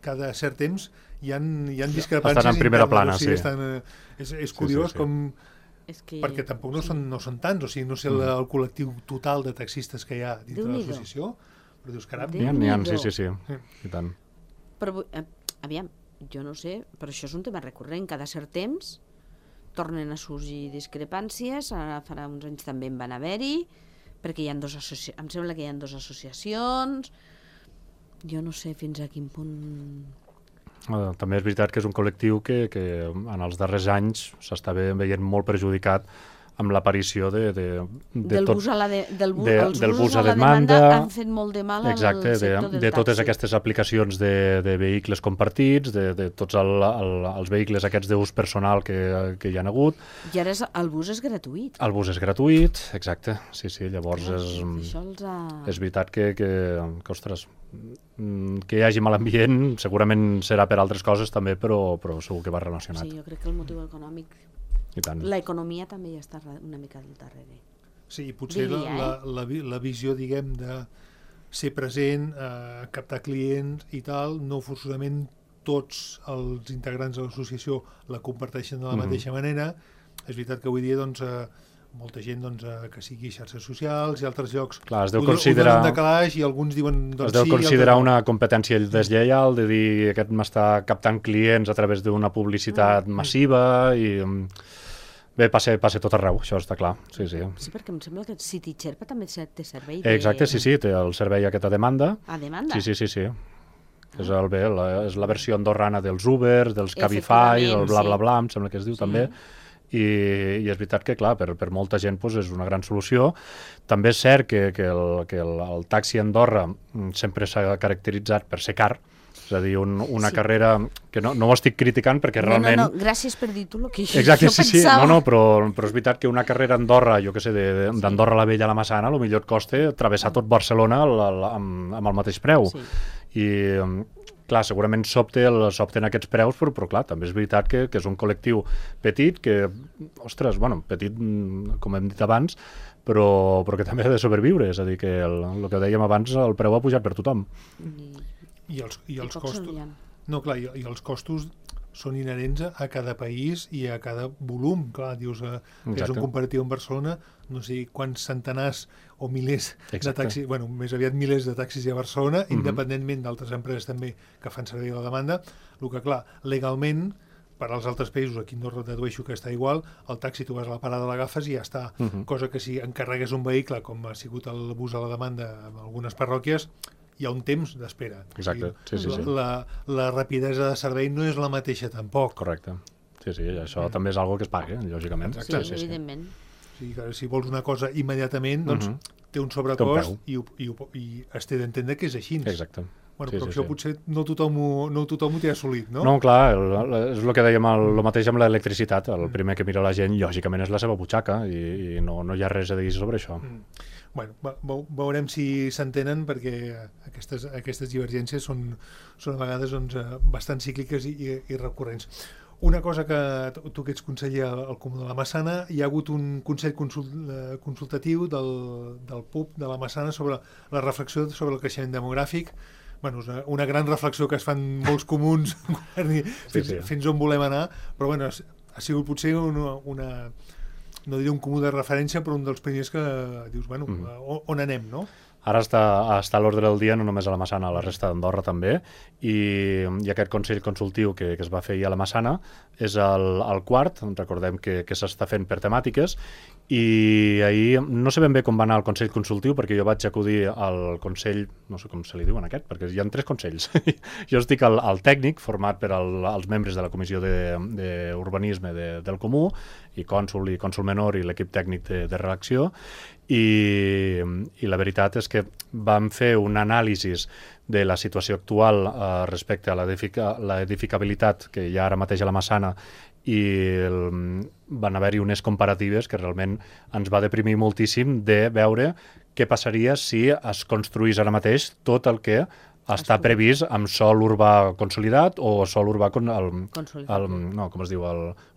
cada cert temps hi ha discrepàncies. Estan en primera plana, sí. És curiós com... perquè tampoc no són tants, o sigui, no sé el col·lectiu total de taxistes que hi ha dintre de l'associació, però dius, caram... N'hi ha, sí, i tant. Però, aviam, jo no sé, però això és un tema recurrent, cada cert temps tornen a sorgir discrepàncies, ara farà uns anys també en van haver-hi, perquè em sembla que hi ha 2 associacions, jo no sé fins a quin punt... També és veritat que és un col·lectiu que en els darrers anys s'està veient molt perjudicat amb l'aparició del bus a la demanda han fet molt de mal al sector del taxi. De totes aquestes aplicacions de vehicles compartits, de tots els vehicles aquests d'ús personal que hi ha hagut. I ara el bus és gratuït. El bus és gratuït, exacte. Sí, llavors és veritat que ostres, que hi hagi mal ambient segurament serà per altres coses també, però segur que va relacionat. Sí, jo crec que el motiu econòmic... L'economia també hi està una mica al darrere. Sí, potser la visió, diguem, de ser present, captar clients i tal, no forçosament tots els integrants de l'associació la comparteixen de la mateixa manera. És veritat que avui dia, doncs, molta gent que sigui xarxes socials i altres llocs ho donen de calaix i alguns diuen doncs sí. Es deu considerar una competència deslleial, de dir aquest m'està captant clients a través d'una publicitat massiva i... Bé, passa tot arreu, això està clar. Sí, perquè em sembla que City Xerpa també té servei Exacte, sí, té el servei aquest a demanda. A demanda? Sí. És la versió andorrana dels Uber, dels Cabify, del bla bla bla, em sembla que es diu també. I és veritat que, clar, per molta gent és una gran solució. També és cert que el taxi a Andorra sempre s'ha caracteritzat per ser car, és a dir, una carrera que no ho estic criticant perquè realment... No, gràcies per dir tu el que jo exacte, pensava. No, però és veritat que una carrera a Andorra, jo què sé, d'Andorra la Vella a la Massana, potser et costa travessar tot Barcelona amb el mateix preu. I, clar, segurament s'opten aquests preus, però clar, també és veritat que és un col·lectiu petit, que, ostres, petit, com hem dit abans, però que també ha de sobreviure, és a dir, que el que dèiem abans, el preu ha pujat per tothom. I els costos... No, clar, i els costos són inherents a cada país i a cada volum. Clar, dius que és un comparatiu amb Barcelona, no sé quants centenars o milers de taxis, més aviat milers de taxis hi ha a Barcelona, independentment d'altres empreses també que fan servir la demanda. El que, clar, legalment, per als altres països, aquí no dedueixo que està igual, el taxi tu vas a la parada, l'agafes i ja està. Cosa que si encarregues un vehicle, com ha sigut el bus a la demanda en algunes parròquies, hi ha un temps d'espera. Exacte, sí. La rapidesa de servei no és la mateixa tampoc. Correcte. Sí, això també és algo que es paga, lògicament. Sí, evidentment. Si vols una cosa immediatament, doncs té un sobrecost i es té d'entendre que és així. Exacte. Però això potser no tothom ho té assolit, no? No, clar, és el que dèiem, el mateix amb l'electricitat. El primer que mira la gent, lògicament, és la seva butxaca i no hi ha res a dir sobre això. Veurem si s'entenen, perquè aquestes divergències són a vegades bastant cícliques i recurrents. Una cosa que tu que ets conseller al Comú de la Massana, hi ha hagut un consell consultatiu del PUB de la Massana sobre la reflexió sobre el creixement demogràfic. Una gran reflexió que es fan molts comuns fins on volem anar, però ha sigut potser una no diré un comú de referència, però un dels primers que dius, on anem, no? Ara està a l'ordre del dia, no només a la Massana, a la resta d'Andorra també, i aquest Consell Consultiu que es va fer ahir a la Massana és el quart, recordem que s'està fent per temàtiques, I ahir no sé ben bé com va anar el Consell Consultiu, perquè jo vaig acudir al Consell, no sé com se li diuen aquest, perquè hi ha 3 consells. Jo estic al tècnic, format per els membres de la Comissió d'Urbanisme del Comú, i cònsol menor i l'equip tècnic de redacció, i la veritat és que vam fer un anàlisi de la situació actual respecte a l'edificabilitat que hi ha ara mateix a la Massana, i van haver-hi unes comparatives que realment ens va deprimir moltíssim de veure què passaria si es construís ara mateix tot el que està previst amb sòl urbà consolidat o sòl urbà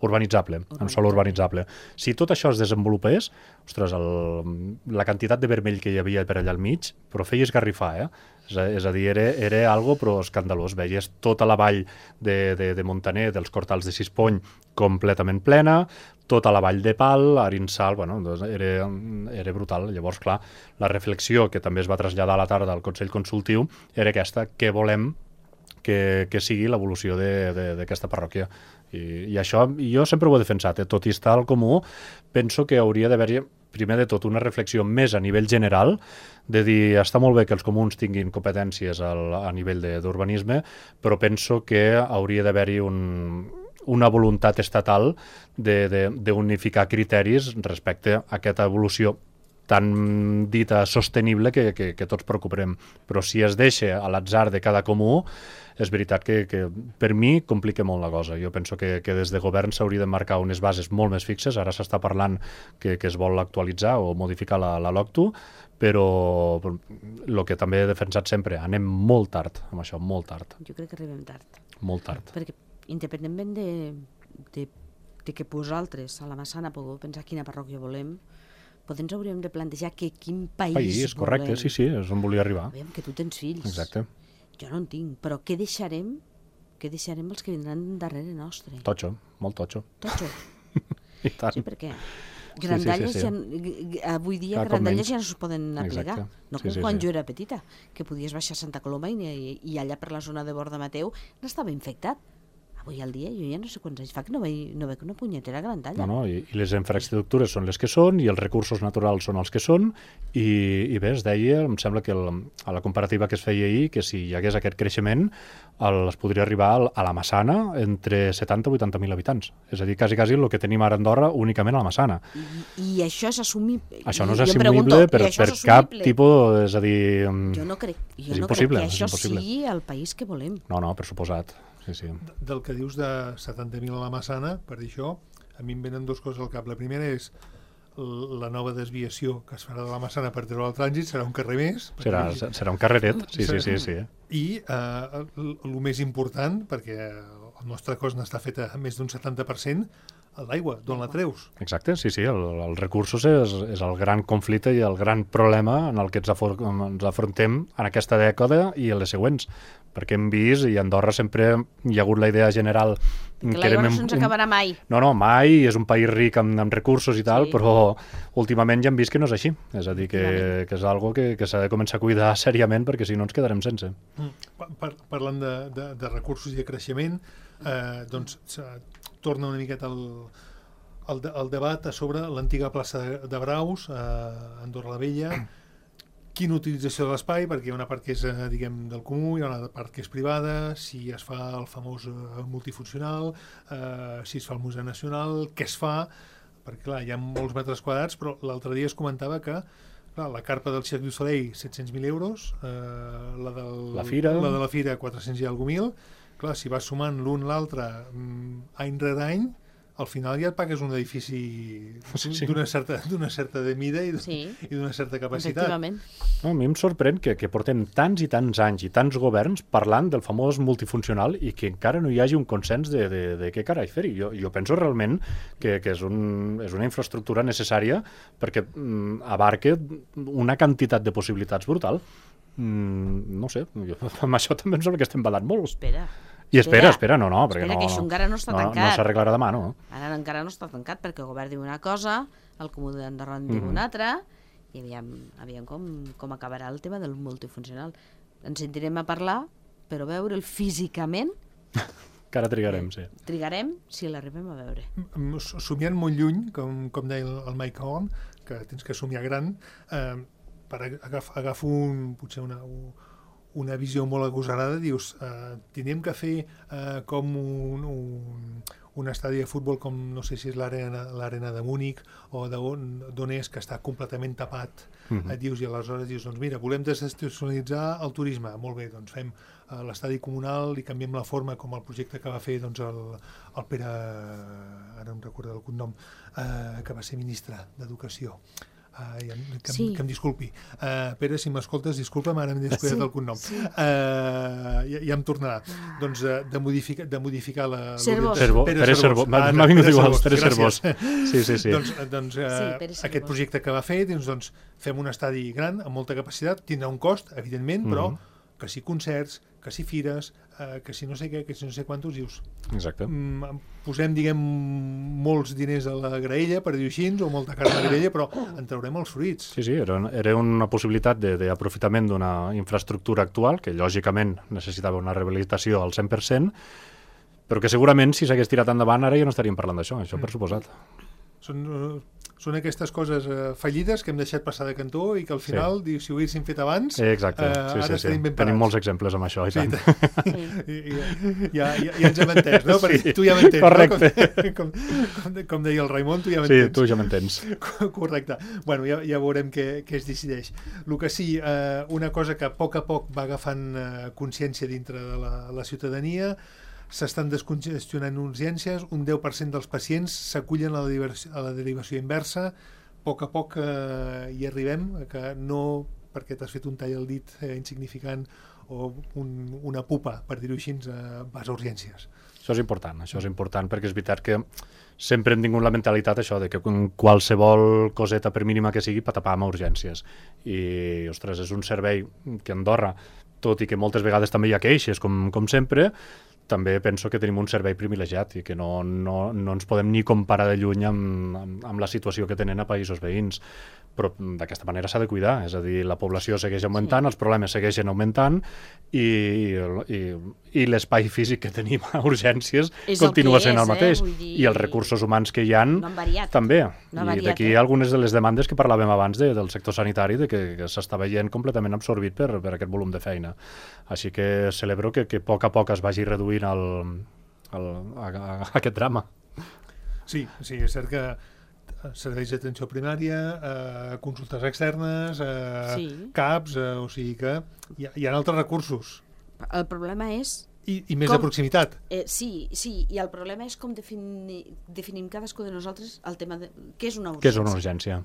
urbanitzable, amb sòl urbanitzable. Si tot això es desenvolupés, ostres, la quantitat de vermell que hi havia per allà al mig, però feia esgarrifar, És a dir, era algo però escandalós. Veies tota la vall de Montaner, dels Cortals de Sispony, completament plena, tota la vall de Pal, Arinsal, era brutal. Llavors, clar, la reflexió que també es va traslladar a la tarda al Consell Consultiu era aquesta: què volem que sigui l'evolució d'aquesta parròquia? I això jo sempre ho he defensat, tot i estar al comú, penso que hauria d'haver-hi primer de tot una reflexió més a nivell general, de dir, està molt bé que els comuns tinguin competències a nivell d'urbanisme, però penso que hauria d'haver-hi una voluntat estatal d'unificar criteris respecte a aquesta evolució tan dita sostenible que tots preocuparem. Però si es deixa a l'atzar de cada comú, és veritat que per mi complica molt la cosa. Jo penso que des de govern s'hauria de marcar unes bases molt més fixes. Ara s'està parlant que es vol actualitzar o modificar la LOCTU, però el que també he defensat sempre, anem molt tard amb això, molt tard. Jo crec que arribem tard. Molt tard. Perquè independentment de que vosaltres a la Massana pugueu pensar quina parròquia volem, potser ens hauríem de plantejar quin país correcte, volem. Sí, és on volia arribar. Veiem que tu tens fills. Exacte. Jo no en tinc, però què deixarem els que vindran darrere nostre? Totxo, molt totxo. Totxo. I tant. Sí, perquè grandalles sí. avui dia grandalles ja no es poden aplicar. Exacte. No com quan jo era petita, que podies baixar a Santa Coloma i allà per la zona de Borda Mateu n'estava infectat. Avui al dia jo ja no sé quants anys fa que no veig una punyetera grandalla. No, i les infraestructures són les que són, i els recursos naturals són els que són, i bé, es deia, em sembla que a la comparativa que es feia ahir, que si hi hagués aquest creixement, es podria arribar a la Massana entre 70 i 80.000 habitants. És a dir, quasi el que tenim ara a Andorra únicament a la Massana. I això és assumible? Això no és assumible per cap tipus, és a dir... Jo no crec que això sigui el país que volem. No, per suposat. Sí. Del que dius de 70.000 a la Massana, per dir això, a mi em venen 2 coses al cap. La primera és la nova desviació que es farà de la Massana per treure el trànsit, serà un carrer més. Serà un carreret, sí. I el més important, perquè el nostre cost n'està fet a més d'un 70%, l'aigua, d'on la treus? Exacte, sí, els recursos és el gran conflicte i el gran problema en el que ens afrontem en aquesta dècada i en les següents, perquè hem vist, i a Andorra sempre hi ha hagut la idea general que l'aigua no se'ns acabarà mai. No, mai, és un país ric amb recursos i tal, però últimament ja hem vist que no és així. És a dir, que és algo que s'ha de començar a cuidar seriament, perquè si no ens quedarem sense. Parlant de recursos i de creixement, doncs torna una miqueta el debat sobre l'antiga plaça de Braus, a Andorra la Vella. Quina utilització de l'espai, perquè hi ha una part que és, diguem, del comú, hi ha una part que és privada, si es fa el famós multifuncional, si es fa el Museu Nacional, què es fa, perquè clar, hi ha molts metres quadrats, però l'altre dia es comentava que clar, la carpa del Cirque du Soleil, 700.000 euros, la de la Fira, 400 i alguna mil. Clar, si vas sumant l'un l'altre any rere any, al final ja et pagues un edifici d'una certa de mida i d'una certa capacitat. A mi em sorprèn que portem tants i tants anys i tants governs parlant del famós multifuncional i que encara no hi hagi un consens de què carai fer-hi. Jo penso realment que és una infraestructura necessària perquè abarca una quantitat de possibilitats brutal. No sé, amb això també em sembla que estem badant molt. Espera, perquè que això encara no està tancat. No s'arreglarà demà, no? Ara encara no està tancat, perquè el govern diu una cosa, el Comú d'Andorra en diu una altra, i aviam com acabarà el tema del multifuncional. Ens sentirem a parlar, però veure'l físicament Que ara trigarem, sí. Trigarem si l'arribem a veure. Somiant molt lluny, com deia el Mike Horn, que tens que somiar gran, per agafar potser una visió molt agosarada, dius, tindríem que fer com un estadi de futbol com, no sé si és l'arena de Múnich o d'on és, que està completament tapat. Et dius, i aleshores dius, doncs mira, volem desestacionalitzar el turisme. Molt bé, doncs fem l'estadi comunal i canviem la forma, com el projecte que va fer doncs, el Pere, ara no em recordo el cognom, que va ser ministre d'Educació. Que em disculpi. Pere, si m'escoltes, disculpa'm, ara m'he descuidat el cognom. Ja em tornarà. Doncs de modificar la... Pere Servó. M'ha vingut igual, Pere Servós. Sí. Doncs aquest projecte que va fer, doncs fem un estadi gran, amb molta capacitat, tindrà un cost, evidentment, però que si concerts, que si fires, que si no sé què, que si no sé quantos, dius. Exacte. Posem, diguem, molts diners a la graella, per dir-ho així, o molta carn a la graella, però en traurem els fruits. Sí, era una possibilitat d'aprofitament d'una infraestructura actual, que lògicament necessitava una rehabilitació al 100%, però que segurament si s'hagués tirat endavant ara ja no estaríem parlant d'això, això per suposat. Són aquestes coses fallides que hem deixat passar de cantó i que al final, si ho haguéssim fet abans, exacte. Ara estaríem ben parats. Tenim molts exemples amb això, i tant. Ja ens hem entès, no? Perquè tu ja m'entens. Correcte. No? Com deia el Raimon, tu ja m'entens. Sí, tu ja m'entens. Correcte. Bueno, ja veurem què es decideix. El que sí, una cosa que a poc va agafant consciència dintre de la ciutadania, s'estan descongestionant urgències, un 10% dels pacients s'acullen a la derivació inversa, a poc hi arribem, que no perquè t'has fet un tall al dit insignificant o una pupa, per dir-ho així, vas a urgències. Això és important perquè és veritat que sempre hem tingut la mentalitat això de que qualsevol coseta, per mínima que sigui, patapam a urgències. I, ostres, és un servei que a Andorra, tot i que moltes vegades també hi ha queixes, com sempre, també penso que tenim un servei privilegiat i que no ens podem ni comparar de lluny amb la situació que tenen a països veïns. Però d'aquesta manera s'ha de cuidar, és a dir, la població segueix augmentant, els problemes segueixen augmentant i l'espai físic que tenim a urgències continua sent el mateix. I els recursos humans que hi ha també. I d'aquí algunes de les demandes que parlàvem abans del sector sanitari, de que s'està veient completament absorbit per aquest volum de feina. Així que celebro que a poc es vagi reduint aquest drama. Sí, és cert que serveis d'atenció primària, consultes externes, CAPs, o sigui que hi ha altres recursos. El problema és... I més de proximitat. Sí, i el problema és com definim cadascú de nosaltres el tema de què és una urgència. Què és una urgència?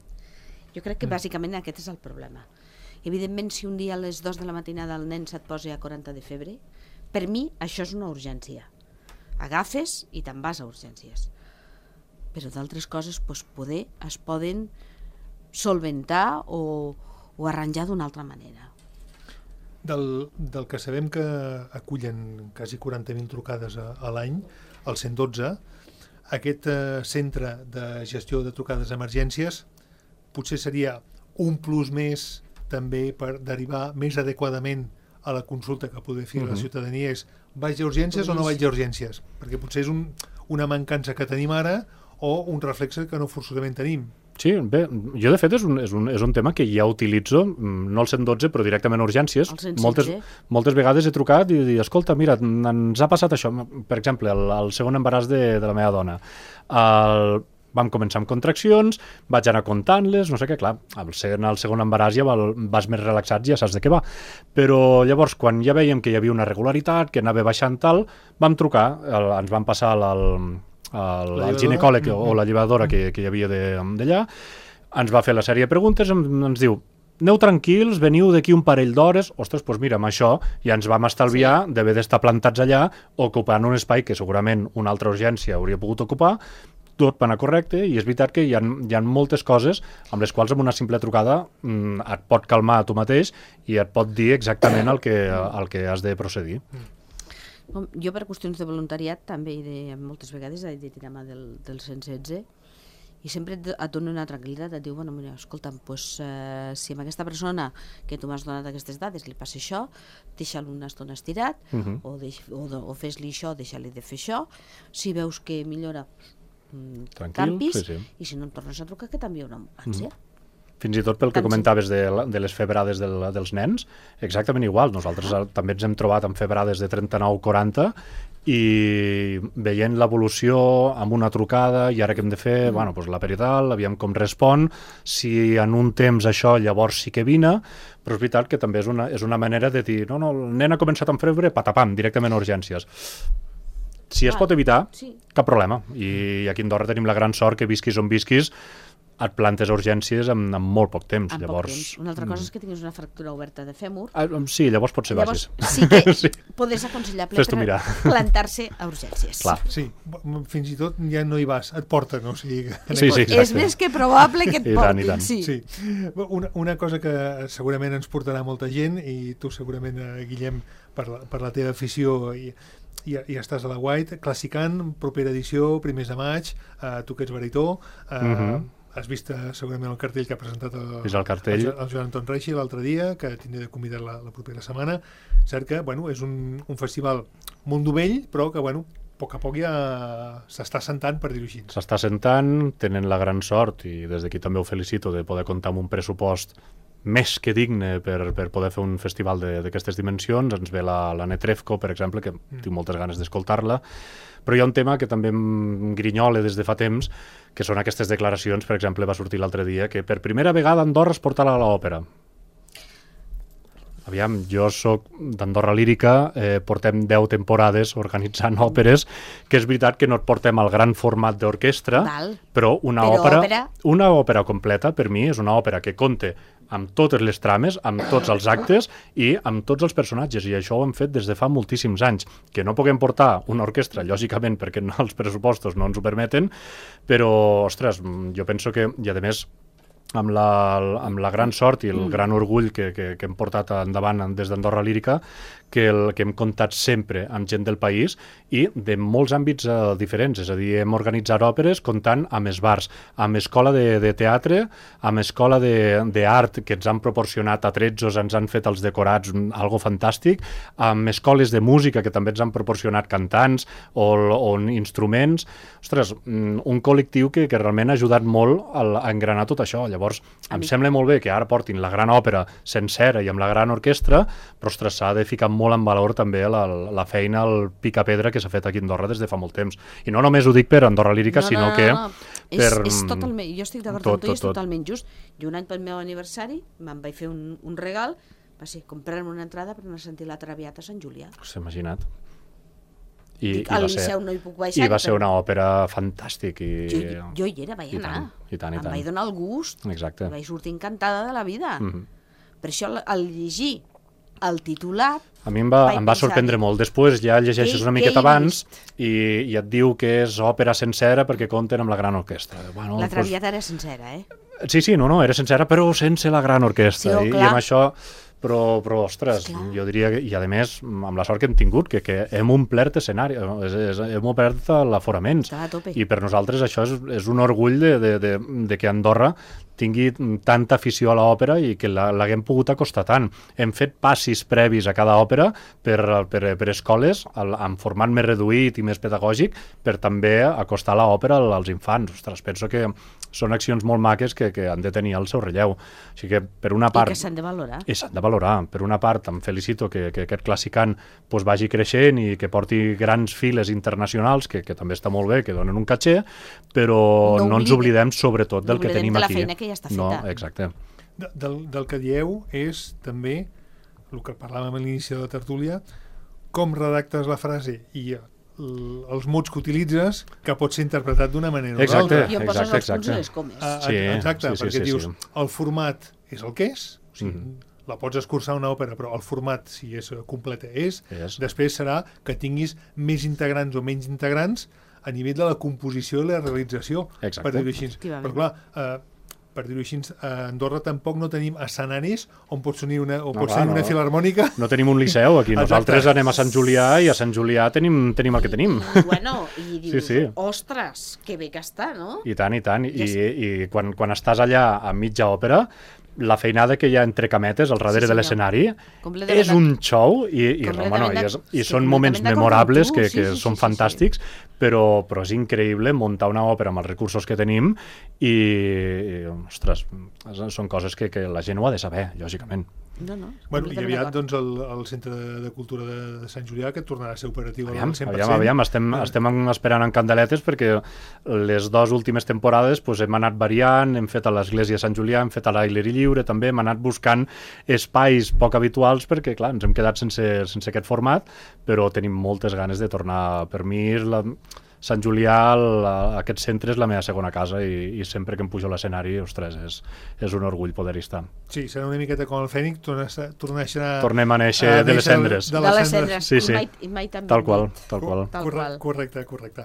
Jo crec que bàsicament aquest és el problema. Evidentment, si un dia a les 2 de la matinada el nen se't posa a 40 de febre, per mi això és una urgència. Agafes i te'n vas a urgències. Però d'altres coses poder es poden solventar o arranjar d'una altra manera. Del que sabem que acullen quasi 40.000 trucades a l'any, el 112, aquest centre de gestió de trucades d'emergències potser seria un plus més també per derivar més adequadament a la consulta que poder fer la ciutadania és vaig a urgències o no vaig a urgències? Perquè potser és una mancança que tenim ara o un reflex que no forçosament tenim. Sí, bé, jo de fet és un tema que ja utilitzo, no al 112, però directament a urgències. Moltes vegades he trucat i dit, escolta, mira, ens ha passat això. Per exemple, el segon embaràs de la meva dona. Vam començar amb contraccions, vaig anar comptant-les, no sé què, clar, al segon embaràs ja vas més relaxat, ja saps de què va. Però llavors, quan ja veiem que hi havia una regularitat, que anava baixant tal, vam trucar, ens van passar el ginecòleg o la llevadora que hi havia d'allà, ens va fer la sèrie de preguntes, ens diu, aneu tranquils, veniu d'aquí un parell d'hores, ostres, doncs mira, amb això ja ens vam estalviar d'haver d'estar plantats allà, ocupant un espai que segurament una altra urgència hauria pogut ocupar, tot va anar correcte, i és veritat que hi ha moltes coses amb les quals amb una simple trucada et pot calmar a tu mateix i et pot dir exactament el que has de procedir. Jo per qüestions de voluntariat també moltes vegades he de tirar mà del 116 I sempre et dona una tranquil·litat, et diu, bueno, mira, escolta'm, si amb aquesta persona que tu m'has donat aquestes dades li passa això, deixa-lo una estona estirat, o fes-li això, deixa-li de fer això, si veus que millora, canvis, i si no em tornes a trucar, que també hi haurà un càncer. Fins i tot pel que comentaves de les febrades dels nens, exactament igual. Nosaltres també ens hem trobat amb febrades de 39-40 i veient l'evolució amb una trucada i ara què hem de fer, bueno, doncs la perital, aviam com respon, si en un temps això llavors sí que vine, però és veritat que també és una manera de dir, no, el nen ha començat amb febre, patapam, directament a urgències. Si es pot evitar, cap problema. I aquí a Andorra tenim la gran sort que visquis on visquis, et plantes a urgències en molt poc temps. Una altra cosa és que tinguis una fractura oberta de fèmur. Sí, llavors pot ser basis. Sí que podés aconsellable plantar-se a urgències. Sí, fins i tot ja no hi vas, et porten. O sigui, és més que probable que et portin. Sí. Una cosa que segurament ens portarà molta gent, i tu segurament, Guillem, per la teva afició i estàs a la White, Classicant, propera edició, primers de maig, tu que ets baritó, has vist segurament el cartell que ha presentat el Joan Anton Reixi l'altre dia, que tindré de convidar la propera setmana. Cert que és un festival molt novell, però que a poc a poc ja s'està assentant, per dir-ho així. S'està assentant, tenen la gran sort, i des d'aquí també ho felicito, de poder comptar amb un pressupost més que digne per poder fer un festival d'aquestes dimensions. Ens ve la Netrefco, per exemple, que tinc moltes ganes d'escoltar-la, però hi ha un tema que també em grinyola des de fa temps, que són aquestes declaracions. Per exemple, va sortir l'altre dia que per primera vegada Andorra es portarà a l'òpera. Aviam, jo soc d'Andorra Lírica, portem 10 temporades organitzant òperes, que és veritat que no et portem al gran format d'orquestra, però una òpera completa, per mi, és una òpera que compta amb totes les trames, amb tots els actes i amb tots els personatges, i això ho hem fet des de fa moltíssims anys. Que no puguem portar una orquestra, lògicament, perquè els pressupostos no ens ho permeten, però, ostres, jo penso que, i a més, amb la gran sort i el gran orgull que hem portat endavant des d'Andorra Lírica, que hem comptat sempre amb gent del país i de molts àmbits diferents. És a dir, hem organitzat òperes comptant amb esbars, amb escola de teatre, amb escola d'art, que ens han proporcionat atrezzos, ens han fet els decorats, algo fantàstic, amb escoles de música, que també ens han proporcionat cantants o instruments. Ostres, un col·lectiu que realment ha ajudat molt a engranar tot això. Llavors, em sembla molt bé que ara portin la gran òpera sencera i amb la gran orquestra, però, ostres, s'ha de ficar molt en valor també la feina, el picapedra que s'ha fet aquí a Andorra des de fa molt temps. I no només ho dic per Andorra Lírica, sinó que... És totalment, jo estic d'acord amb tu, és totalment just. Jo un any pel meu aniversari me'n vaig fer un regal, va ser comprar-me una entrada per anar a sentir la Traviata a Sant Julià. S'ha imaginat. Al Liceu no hi puc baixar. I va ser una òpera fantàstic. Jo hi era, vaig anar. Em vaig donar el gust. Exacte. Vaig sortir encantada de la vida. Per això, al llegir el titular... A mi em va sorprendre molt. Després ja llegeixes una miqueta abans i et diu que és òpera sencera perquè compten amb la gran orquestra. La Traviata era sencera, eh? Sí, no, era sencera, però sense la gran orquestra. I amb això... Però, ostres, jo diria que, i a més, amb la sort que hem tingut, que hem omplert escenari, hem omplert l'aforament, i per nosaltres això és un orgull de que Andorra tingui tanta afició a l'òpera i que l'haguem pogut acostar tant. Hem fet passis previs a cada òpera per escoles, amb format més reduït i més pedagògic, per també acostar l'òpera als infants. Ostres, penso que són accions molt maques que han de tenir el seu relleu. O sigui que, per una part... I que s'han de valorar. I s'han de valorar. Per una part, em felicito que aquest Classicant vagi creixent i que porti grans files internacionals, que també està molt bé, que donen un caché, però no ens oblidem sobretot del que tenim aquí. No oblidem de la feina que ja està feta. No, exacte. Del que dieu és també, el que parlàvem a l'inici de la tertúlia, com redactes la frase i els mots que utilitzes, que pot ser interpretat d'una manera o d'altra. I on poses els punts i les comes. Exacte, perquè dius, el format és el que és, o sigui, la pots escurçar una òpera, però el format, si és completa, és. Després serà que tinguis més integrants o menys integrants a nivell de la composició i la realització, per dir-ho així. Però clar, per dir-ho així, a Andorra tampoc no tenim escenaris on pot tenir una filharmònica. No tenim un liceu aquí, nosaltres anem a Sant Julià i a Sant Julià tenim el que tenim. I dius, ostres, que bé que està, no? I tant. I quan estàs allà a mitja òpera, la feinada que hi ha entre cametes al darrere de l'escenari és un show i són moments memorables que són fantàstics, però és increïble muntar una òpera amb els recursos que tenim i ostres, són coses que la gent ho ha de saber, lògicament. Bueno, i aviat doncs el Centre de Cultura de Sant Julià, que tornarà a ser operatiu al 100%. Aviam, estem esperant en candeletes perquè les 2 últimes temporades hem anat variant, hem fet a l'Església de Sant Julià, hem fet a l'Aire Lliure també, hem anat buscant espais poc habituals perquè, clar, ens hem quedat sense aquest format, però tenim moltes ganes de tornar. Per mi Sant Julià, aquest centre és la meva segona casa i sempre que em pujo a l'escenari, ostres, és un orgull poder-hi estar. Sí, serà una miqueta com el Fènix, tornem a néixer de les cendres. De les cendres, sí. I mai tan tal qual. Correcte.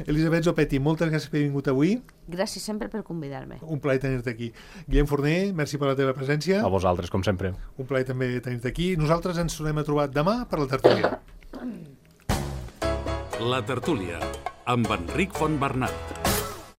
Elisabet Zopetti, moltes gràcies per haver vingut avui. Gràcies sempre per convidar-me. Un plaer tenir-te aquí. Guillem Forner, merci per la teva presència. A vosaltres, com sempre. Un plaer també tenir-te aquí. Nosaltres ens tornem a trobar demà per la tertúlia. La tertúlia, amb Enric Fontbernat.